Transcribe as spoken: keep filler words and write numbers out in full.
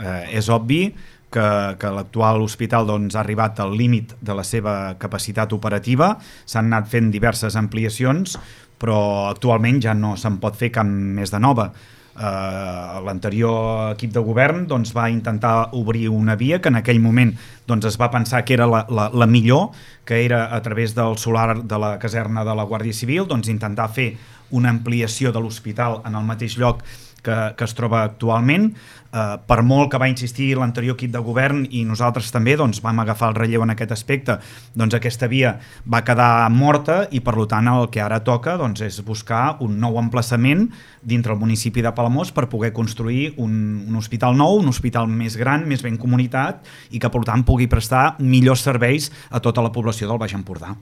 Eh, és obvi que, que l'actual hospital doncs, ha arribat al límit de la seva capacitat operativa, s'han anat fent diverses ampliacions, però actualment ja no se'n pot fer cap més de nova. Uh, l'anterior equip de govern doncs, va intentar obrir una via que en aquell moment doncs, es va pensar que era la, la, la millor, que era a través del solar de la caserna de la Guàrdia Civil, doncs, intentar fer una ampliació de l'hospital en el mateix lloc que, que es troba actualment. Uh, per molt que va insistir l'anterior equip de govern i nosaltres també doncs, vam agafar el relleu en aquest aspecte, doncs aquesta via va quedar morta i per tant el que ara toca doncs, és buscar un nou emplaçament dintre el municipi de Palamós per poder construir un, un hospital nou, un hospital més gran, més ben comunitat i que per tant pugui prestar millors serveis a tota la població del Baix Empordà.